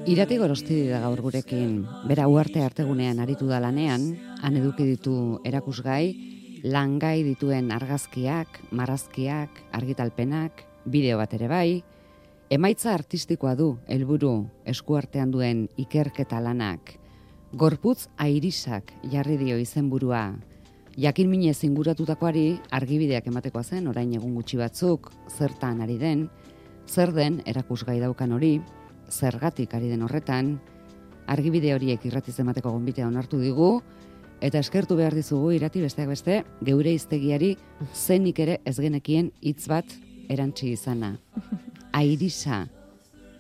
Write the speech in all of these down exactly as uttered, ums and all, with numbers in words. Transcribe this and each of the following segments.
Irati Gorosti da gaur gurekin, bera Uharte Artegunean aritu da lanean, han eduki ditu erakusgai, langai dituen argazkiak, marrazkiak, argitalpenak, bideo bat ere bai, emaitza artistikoa du helburu eskuartean duen ikerketa lanak. Gorputz airisak jarri dio izenburua. Jakin minez inguratutakoari argibideak ematekoa zen, orain egun gutxi batzuk, zertan ari den, zer den erakusgai daukan hori, zergatik ari den horretan, argibide horiek irratiz emateko gonbitea onartu digu, eta eskertu behar dizugu Irati besteak beste, geure hiztegiari zenik ere ez genekien hitz bat erantsi izana. Airisa,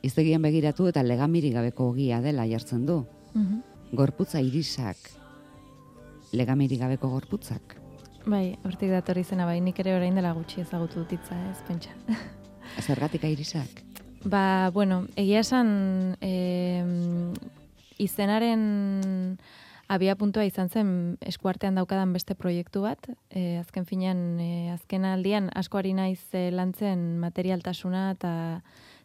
hiztegian begiratu eta legamiri gabeko ogia dela jartzen du. Gorputza irisak, legamiri gabeko gorputzak. Bai, hortik datorri zena, bai, nik ere orain dela gutxi ezagutu dut hitza, ez pentsa. Zergatik airisak? Ba, bueno, egia esan eh, izenaren abia puntua izan zen eskuartean daukadan beste proiektu bat. Eh, azken finean, eh, azken aldian asko ari naiz eh, lantzen materialtasuna eta,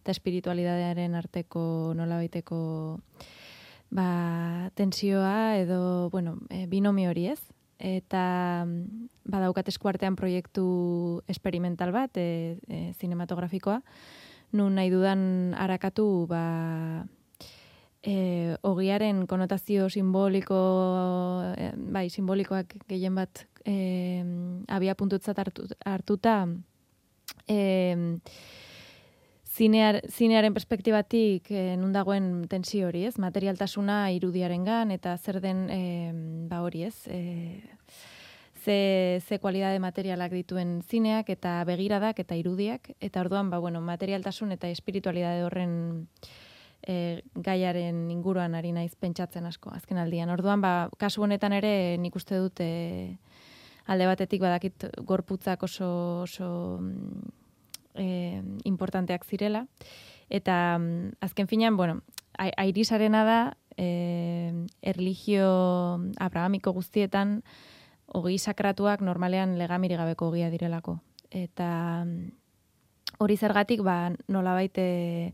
eta espiritualidadearen arteko nolabaiteko ba, tensioa edo, bueno, eh, binomi hori ez. Eta badaukat eskuartean proiektu experimental bat, e, e, zinematografikoa, nun nahi dudan arakatu ba, e, ogiaren konotazio simboliko, e, bai, simbolikoak gehien bat e, abia puntutzat hartu, hartuta, e, zinear, zinearen perspektibatik e, nun dagoen tensio hori, ez? Materialtasuna irudiarengan eta zer den e, ba hori, ez? E, ze, ze kualidade materialak dituen zineak eta begiradak eta irudiak, eta orduan, ba, bueno, materialtasun eta espiritualidade horren e, gaiaren inguruan ari naiz pentsatzen asko, azken aldian. Orduan, ba, kasu honetan ere nik uste dut e, alde batetik badakit gorputzak oso, oso e, importanteak zirela, eta azken finean, bueno, airisarena da, e, erlijio abrahamiko guztietan, ogi sakratuak normalean legamiri gabeko ogia direlako. Eta hori zergatik, ba, nolabait e,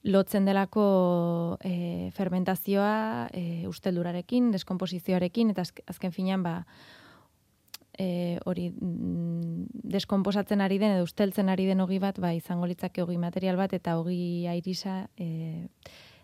lotzen delako e, fermentazioa e, usteldurarekin, deskomposizioarekin, eta azken finean, ba, e, hori deskomposatzen ari den edo usteltzen ari den ogi bat, ba, izango litzake ogi material bat, eta ogi airisa e,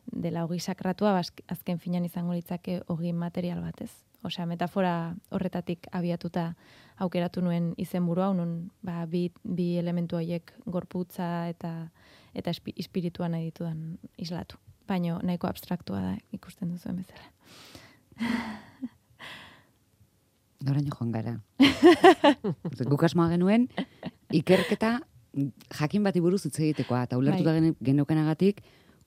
dela ogi sakratua, ba, azken finean izango litzake ogi material bat, ez? Osea, metafora horretatik abiatuta aukeratu nuen izenburua, nun ba, bi, bi elementu horiek gorputza eta eta espiritua nahi ditudan islatu. Baina nahiko abstraktua da ikusten duzuen bezala. Noraino joan gara. Guk asmoa genuen, ikerketa jakin bati buruz hitz egitekoa, eta ulertuta bai. Geneukenagatik,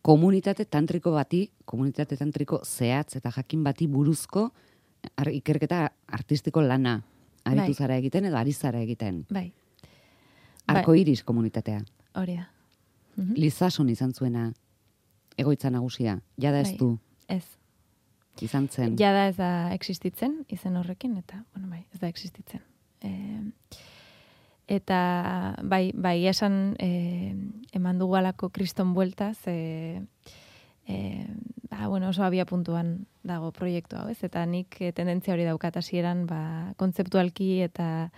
komunitate tantriko bati, komunitate tantriko zehatz eta jakin bati buruzko Ar, ikerketa artistiko lana aritu bai. Zara egiten edo ari zara egiten. Bai. Arko iris komunitatea. Hori da. Mm-hmm. Lizason izan zuena egoitza nagusia. Jada ez bai. Du. Ez. Izan zen. Jada ez da existitzen izen horrekin, eta, bueno, bai, ez da existitzen. E, eta, bai, bai, esan e, eman dugu alako kriston bueltaz, e, E, ba, bueno, oso abia puntuan dago proiektu hau, ez? Eta nik e, tendentzia hori daukat hasieran, ba, kontzeptualki eta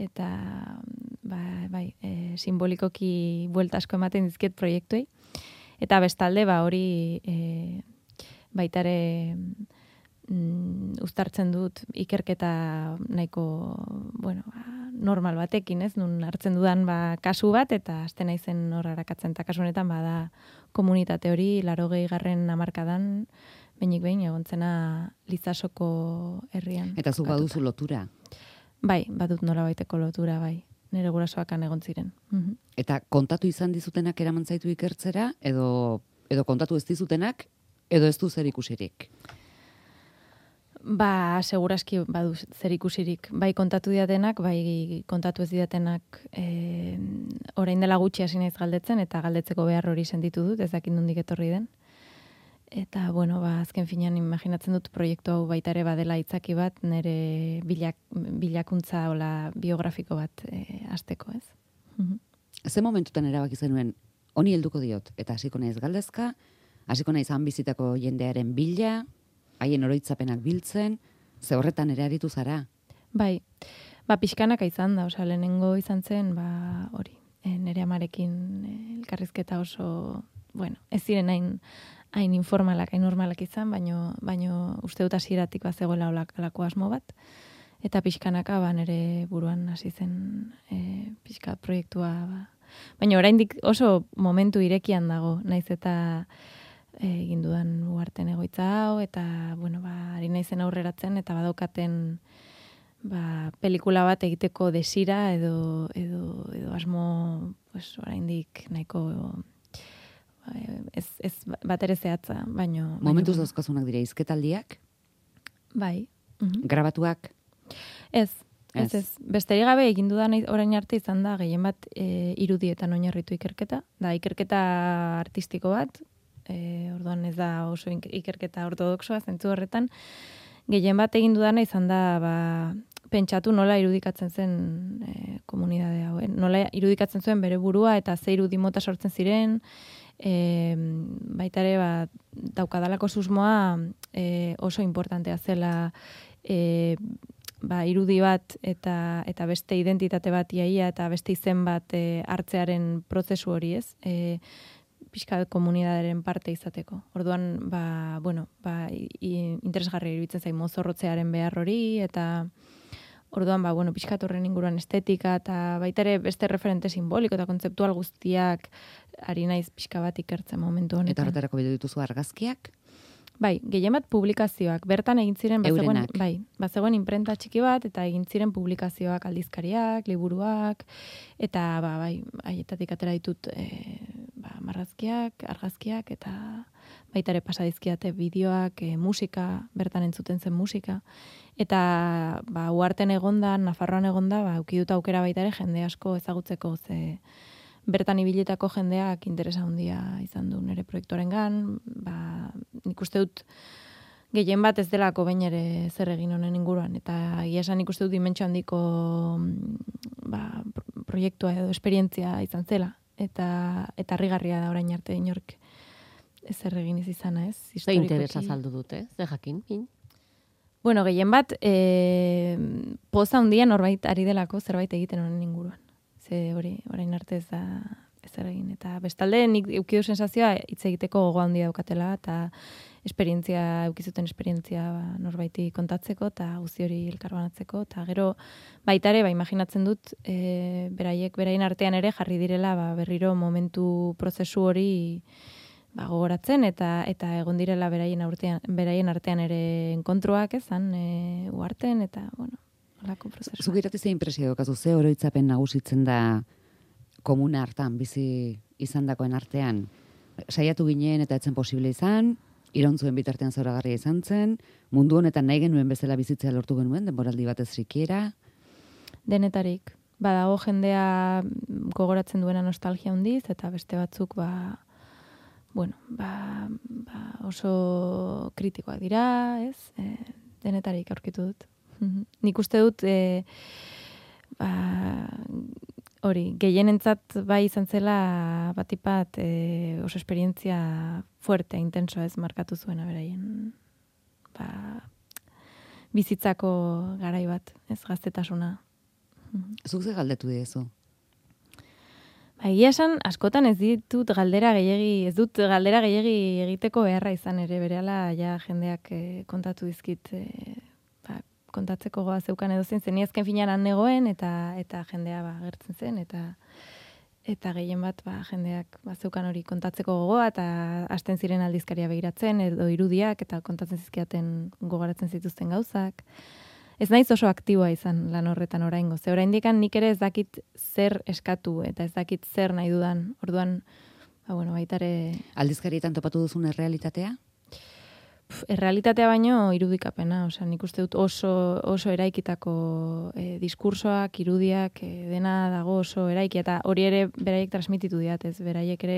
eta ba, bai, e, simbolikoki buelta asko ematen dizkiet proiektuei. Eta bestalde, ba, hori e, baitare mm, uztartzen dut ikerketa nahiko, bueno, ba, normal batekin, ez? Nun hartzen dudan ba, kasu bat, eta azten naizen hor arakatzen, eta kasu honetan bada komunitate hori larogei garren hamarkadan behinik behin egontzena Lizasoko herrian. Eta zu baduzu lotura? Bai, badut nolabaiteko lotura, bai. Nire gurasoakan egon ziren. Mm-hmm. Eta kontatu izan dizutenak eraman zaitu ikertzera, edo, edo kontatu ez dizutenak, edo ez du zer ikusirik? Ba, seguraski badu zer ikusirik. Bai kontatu didatenak, bai kontatu ez didatenak e, orain dela gutxi hasi naiz galdetzen, eta galdetzeko behar hori sentitu dut, ez dakit nondik etorri den. Eta, bueno, ba, azken finean imaginatzen dut proiektu hau baita ere badela itzaki bat, nire bilak, bilakuntza hola biografiko bat e, hasteko, ez? Mhm. Ze momentutan erabaki zenuen, honi helduko diot, eta hasiko naiz galdezka, hasiko naiz han bizitako jendearen bila, haien oroitzapenak biltzen, ze horretan ere aritu zara? Bai, ba, pixkanaka izan da, osea, lehenengo izan zen, ba, hori, e, nire amarekin e, elkarrizketa oso, bueno, ez ziren hain, hain informalak, hain normalak izan, baino, baino uste dut hasieratik bazegoela olako asmo bat, eta pixkanaka ba, nire buruan hasi zen e, pixka proiektua, ba. Baina oraindik oso momentu irekian dago, naiz eta egin dudan uarten egoitza hau, eta, bueno, ba, ari naizen aurreratzen, eta badaukaten ba, pelikula bat egiteko desira edo, edo, edo asmo pues, oraindik nahiko ez, ez bat ere zehatza, baino... Momentuz baino, dauzkazunak dira izketaldiak? Bai. Mhm. Grabatuak? Ez, ez, ez. Besterik gabe egin dudan orain arte izan da, gehien bat e, irudietan oinarritu ikerketa. Da, ikerketa artistiko bat, e, orduan ez da oso ikerketa ortodoxoa, zentzu horretan, gehien bat egin dudana izan da, ba, pentsatu nola irudikatzen zen e, komunidade hau. Nola irudikatzen zuen bere burua eta ze irudi mota sortzen ziren, e, baita ere ba, daukadalako susmoa e, oso importantea zela e, ba, irudi bat eta eta beste identitate bat iaia eta beste izen bat e, hartzearen prozesu hori, ez? E, pixka komunidaderen parte izateko. Orduan, ba, bueno, ba, interesgarri iruditzen zain mozorrotzearen behar hori, eta orduan, ba, bueno, pixka horren inguruan estetika, eta baita ere beste referente simboliko eta kontzeptual guztiak ari naiz pixka bat ikertzen momentu honetan. Eta horretarako bildu dituzu argazkiak? Bai, gehien bat publikazioak. Bertan egin ziren, bazegoen, Eurenak. bai, bazegoen imprenta txiki bat, eta egin ziren publikazioak, aldizkariak, liburuak, eta ba, bai, haietatik atera ditut e, ba, marrazkiak, argazkiak, eta baita ere pasadizkiate bideoak, e, musika, bertan entzuten zen musika. Eta ba, uarten egonda, Nafarroan egonda, ba, ukidut aukera baita ere jende asko ezagutzeko, ze bertan ibilitako jendeak interesa handia izan du nire proiektuarengan, ba, nik uste dut gehien bat ez delako bain ere zer egin honen inguruan, eta egia esan nik uste dut dimentsio handiko ba, proiektua edo esperientzia izan zela, eta eta harrigarria da orain arte inork ezer egin ez izana, ez? Ze interesa saldu dute, ze jakin, min? Bueno, gehien bat, e, poza handia norbait ari delako zerbait egiten honen inguruan. Ze hori, orain arte ez da ezer egin. Eta bestalde, nik eukidu sensazioa hitz egiteko gogo handia daukatela, eta esperientzia, eukizuten esperientzia ba, norbaiti kontatzeko, eta guzti hori elkarbanatzeko, eta gero baita ere, ba, imaginatzen dut, e, beraiek, beraien artean ere jarri direla ba, berriro momentu prozesu hori ba, gogoratzen, eta eta egon direla beraien, aurtean, beraien artean ere enkontruak ezan, e, uarten, eta, bueno, holako prozesua. Zuk irati ze impresio daukazu, ze oroitzapen nagusitzen da komuna hartan, bizi izandakoen artean. Saiatu ginen eta etzen posible izan, irontzuen bitartean zoragarria izan zen, mundu honetan nahi genuen bezala bizitzea lortu genuen, denboraldi batez rikiera. Denetarik. Badago jendea gogoratzen duena nostalgia handiz, eta beste batzuk, ba, bueno, ba, ba oso kritikoak dira, ez? E, denetarik aurkitu dut. Nik uste dut, e, ba, hori, gehienentzat bai izan zela batipat e, oso esperientzia fuerte, intenso ez markatu zuena beraien ba, bizitzako garai bat, ez gaztetasuna. Zuk ze galdetu diezu? Ba, egia esan, askotan ez ditut galdera gehiegi, ez dut galdera gehiegi egiteko beharra izan ere, berehala ja jendeak e, kontatu dizkit e, kontatzeko goa zeukan edo zen, zen azken finean han negoen, eta eta jendea ba, gertzen zen, eta eta gehien bat ba, jendeak ba, zeukan hori kontatzeko gogoa, eta hasten ziren aldizkaria begiratzen, edo irudiak, eta kontatzen zizkiaten gogaratzen zituzten gauzak. Ez naiz oso aktiboa izan lan horretan oraingo, ze oraindikan nik ere ez dakit zer eskatu, eta ez dakit zer nahi dudan, orduan, ba, bueno, baitare... Aldizkarietan topatu duzun errealitatea? Errealitatea baino irudikapena, osea, nik uste dut oso, oso eraikitako e, diskursoak, irudiak, e, dena dago oso eraiki, eta hori ere beraiek transmititu diat, ez, beraiek ere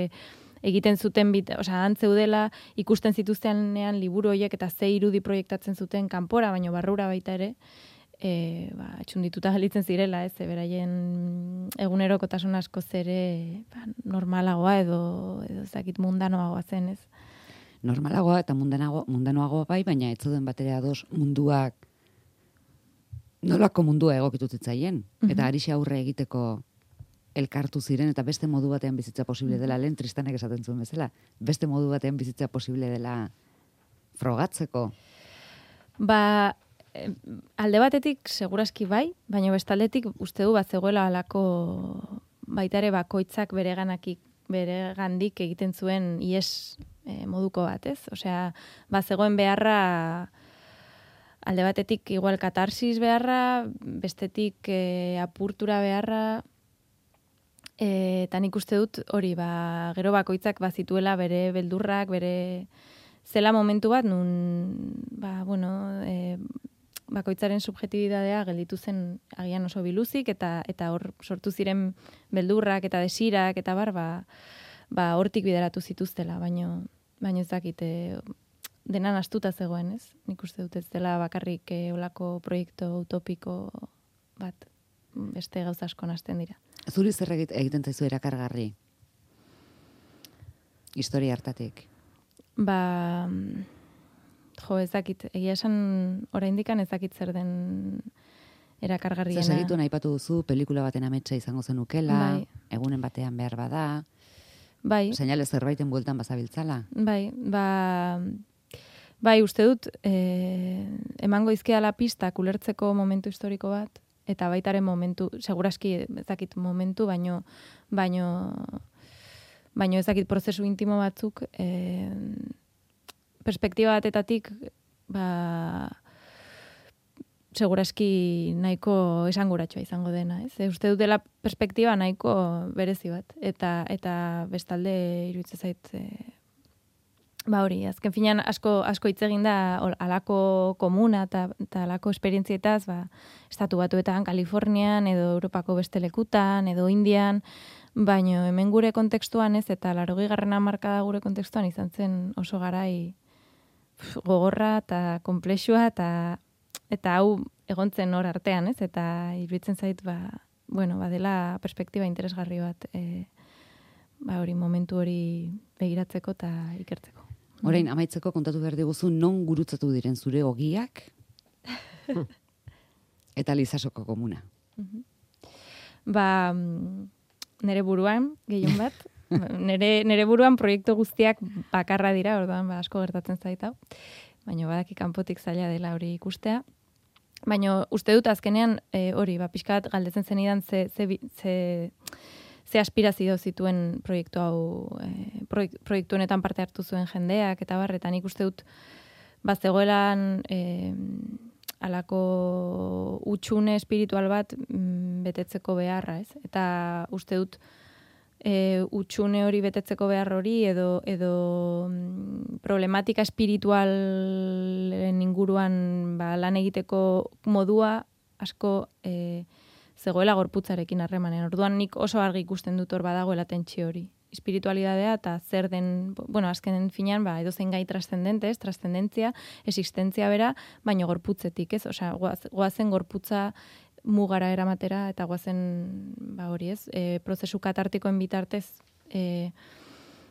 egiten zuten, bit, osea, antzeudela ikusten zituztenean liburu horiek eta ze irudi proiektatzen zuten kanpora, baino barrura baita ere, e, ba, etxundituta galitzen zirela, ez, beraien egunerokotasun askoz ere ba, normalagoa edo edo ezakit mundanoagoa zen, ez? Normalagoa eta mundanago, mundanoagoa bai, baina ez zuden batera ados munduak nolako mundua egokitu zitzaien. Mm-hmm. Eta arixe aurre egiteko elkartu ziren eta beste modu batean bizitza posible dela, lehen Tristanek esaten zuen bezala, beste modu batean bizitza posible dela frogatzeko. Ba, alde batetik segurazki bai, baina bestaldetik uste du bat zegoela alako baitare bakoitzak bereganakik beregandik egiten zuen ies e, moduko bat, ez? Osea, ba zegoen beharra alde batetik igual katarsis beharra, bestetik e, apurtura beharra, e, eta nik uste dut hori, ba, gero bakoitzak bazituela bere beldurrak, bere zela momentu bat, nun, ba, bueno, e, bakoitzaren subjetibidadea gelditu zen agian oso biluzik, eta eta hor sortu ziren beldurrak eta desirak, eta bar, ba, ba hortik bideratu zituztela, baino, baino ez dakite, denan astuta zegoen, ez? Nik uste dut ez dela bakarrik e, olako proiektu utopiko bat, beste gauza asko nahasten dira. Zuri zer egiten zaizu erakargarri? Historia hartatik. Ba, jo, ez dakit, egia esan oraindikan ez dakit zer den erakargarriena. Zer segitu naipatu duzu, pelikula baten ametsa izango zenukela, bai. Egunen batean behar bada, bai. Seinale zerbaiten bueltan bazabiltzala. Bai, ba, bai, uste dut, eh, emango izkiala pistak ulertzeko momentu historiko bat, eta baitaren momentu, seguraski ez dakit momentu, baino, baino, baino ez dakit prozesu intimo batzuk, eh, perspektiba batetatik, ba, seguraski nahiko esanguratsua izango dena, ez? E, uste dut dela perspektiba nahiko berezi bat, eta eta bestalde iruditzen zait, e, ba hori, azken finean asko asko hitz egin da halako komuna eta eta halako esperientzietaz, ba, estatu batuetan, Kalifornian edo Europako beste lekutan edo Indian, baino hemen gure kontekstuan ez, eta laurogeigarren hamarkada gure kontekstuan izan zen oso garai gogorra eta konplexua eta eta hau egontzen hor artean, ez? Eta iruditzen zait, ba, bueno, badela perspektiba interesgarri bat, e, ba hori momentu hori begiratzeko eta ikertzeko. Orain amaitzeko kontatu behar diguzu non gurutzatu diren zure ogiak eta Lizasoko komuna. Ba, nere buruan gehien bat, nere nere buruan proiektu guztiak bakarra dira, orduan ba asko gertatzen zait hau. Baina badaki kanpotik zaila dela hori ikustea. Baina uste dut azkenean e, hori, ba, pixkat galdetzen zenidan ze, ze, ze, ze aspirazio zituen proiektu hau, e, proiek, proiektu honetan parte hartu zuen jendeak, eta barretan ikuste dut, ba, zegoelan e, alako utxune espiritual bat mm, betetzeko beharra, ez? Eta uste dut, E, utxune hori betetzeko behar hori edo, edo mm, problematika espiritualen inguruan ba, lan egiteko modua asko e, zegoela gorputzarekin harremanen. Orduan nik oso argi ikusten dut hor badagoela tentsio hori. Espiritualidadea eta zer den, bueno, azkenen finean, ba, edo zein gai trascendente, ez, trascendentzia, existentzia bera, baino gorputzetik, ez? Osea, goaz, goazen gorputza mugara eramatera, eta guazen, ba hori ez, e, prozesu katartikoen bitartez, e,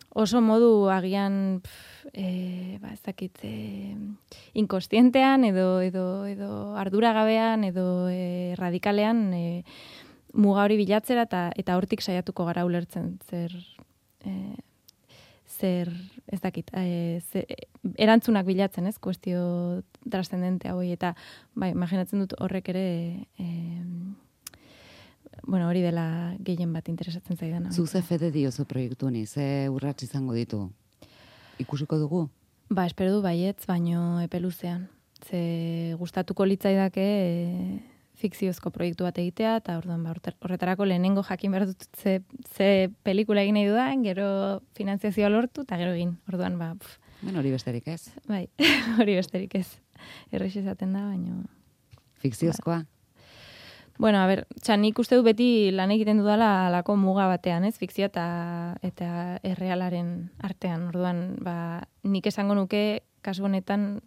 oso modu agian, pf, e, ba ez dakit, e, inkostientean, edo, edo, edo arduragabean, edo e, radikalean, e, muga hori bilatzera, eta, eta hortik saiatuko gara ulertzen, zer, e, zer, ez dakit, e, ze, erantzunak bilatzen, ez, kuestio trascendente hauei, eta, bai, imaginatzen dut horrek ere, e, bueno, hori dela gehien bat interesatzen zaidana. Zu ze fede diozu proiektu honi, ze urrats izango ditu? Ikusiko dugu? Ba, espero du baietz, baino epe luzean. Ze gustatuko litzaidake e, fikziozko proiektu bat egitea, eta orduan ba, horretarako lehenengo jakin behar dut ze, ze pelikula egin nahi dudan, gero finanziazioa lortu, eta gero egin. Orduan, ba, pff. Bueno, hori besterik ez. Bai, hori besterik ez. Errex esaten da, baino... Fikziozkoa? Ba. Bueno, a ber, txan, nik uste du beti lan egiten dudala alako muga batean, ez? Fikzioa eta, eta errealaren artean. Orduan, ba, nik esango nuke, kasu honetan,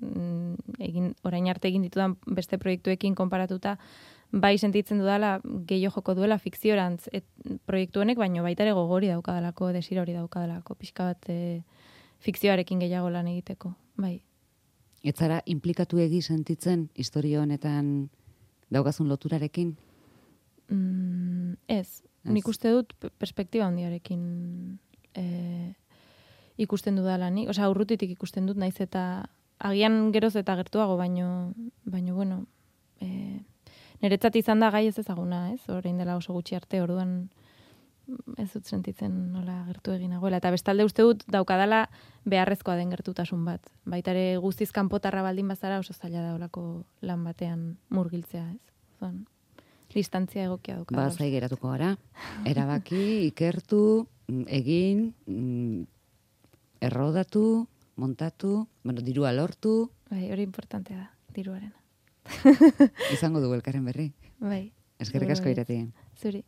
egin, orain arte egin ditudan beste proiektuekin konparatuta, bai sentitzen dudala gehiago joko duela fikziorantz et, proiektu honek, baino baita ere gogori daukadalako, desira hori daukadalako, pixka bat e, fikzioarekin gehiago lan egiteko, bai. Ez zara implikatu egi sentitzen historia honetan daukazun loturarekin? Mm, ez, nik uste dut perspektiba handiarekin e, ikusten dudala nik, osea, urrutitik ikusten dut, naiz eta agian geroz eta gertuago, baino, baino bueno, e, niretzat izan da gai ez ezaguna, ez? Orain dela oso gutxi arte, orduan ez dut sentitzen nola gertu egin nagoela. Eta bestalde uste dut daukadala beharrezkoa den gertutasun bat. Baitare guztiz kanpotarra baldin bazara oso zaila da olako lan batean murgiltzea, ez? Orduan, distantzia egokia daukadala. Ba, zai geratuko gara. Erabaki, ikertu, egin, errodatu, montatu, bueno, dirua lortu. Bai, hori importantea da, diruarena. Izango du elkarren berri. Bai. Eskerrik asko Irati. Zuri.